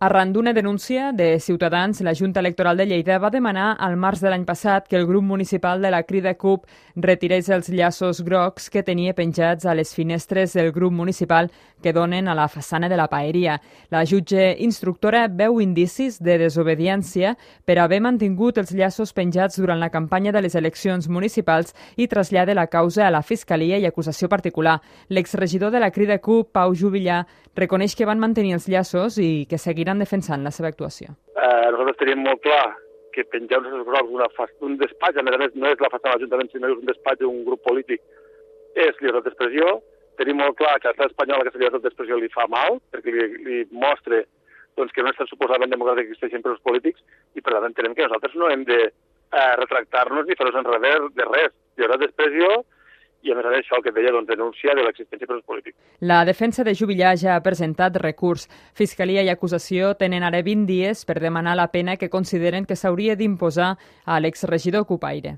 Arran d'una denúncia de Ciutadans, la Junta Electoral de Lleida va demanar al març de l'any passat que el grup municipal de la Crida CUP retirés els llaços grocs que tenia penjats a les finestres del grup municipal que donen a la façana de la paeria. La jutge instructora veu indicis de desobediència per haver mantingut els llaços penjats durant la campanya de les eleccions municipals i trasllada la causa a la Fiscalia i acusació particular. L'exregidor de la Crida CUP, Pau Juvillà, reconeix que van mantenir els llaços i que seguiran defensant la seva actuació. Nosaltres tenim molt clar que penjar uns grocs d'un despatx, a més no és la façana de l'Ajuntament, sinó és un despatx d'un grup polític, és llibertat d'expressió. Tenim molt clar que a l'estat espanyol aquesta llibertat d'expressió li fa mal, perquè li mostra que no és tan suposadament democràtic que existeixen presos polítics, i per tant entenem que nosaltres no hem de retractar-nos ni fer-nos enrere de res. Llibertat d'expressió, i a més a més això, el que et deia, denúncia de l'existència de presos polítics. La defensa de Juvillà ja ha presentat recurs. Fiscalia i acusació tenen ara 20 dies per demanar la pena que consideren que s'hauria d'imposar a l'exregidor cupaire.